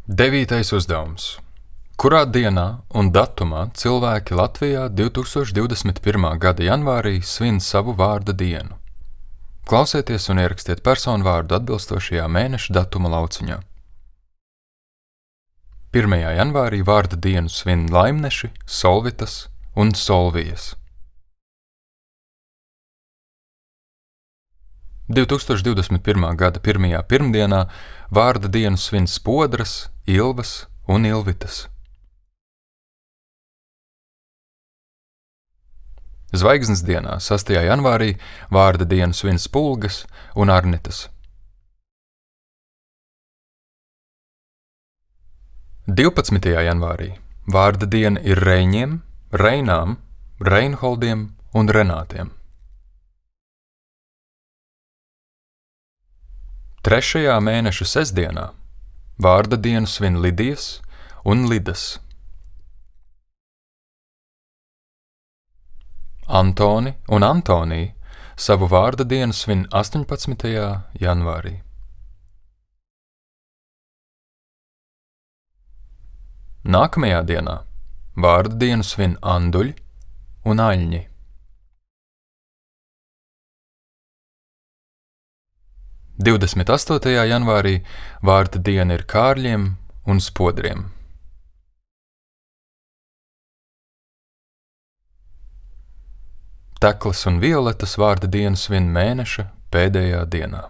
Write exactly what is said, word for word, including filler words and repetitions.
Devītais uzdevums. Kurā dienā un datumā cilvēki Latvijā divtūkstoš divdesmit pirmā gada janvārī svin savu vārda dienu? Klausieties un ierakstiet personu vārdu atbilstošajā mēneša datuma lauciņā. pirmajā janvārī vārda dienu svin Laimneši, Solvitas un Solvijas. divtūkstoš divdesmit pirmā gada pirmajā pirmdienā vārda dienu svin Spodras, Ilvas un Ilvitas. Zvaigznes dienā, sastajā janvārī, vārda dienu svin Spulgas un Arnitas. divpadsmitajā janvārī vārda diena ir Reiņiem, Reinām, Reinholdiem un Renātiem. Trešajā mēneša sestdienā vārda dienu svin Lidijas un Lidas. Antoni un Antonija savu vārda dienu svin astoņpadsmitajā janvārī. Nākamajā dienā vārda dienu svin Anduļi un Aļņi. divdesmit astotajā janvārī vārda diena ir Kārļiem un Spodriem. Teklas un Violetas vārda dienu svin mēneša pēdējā dienā.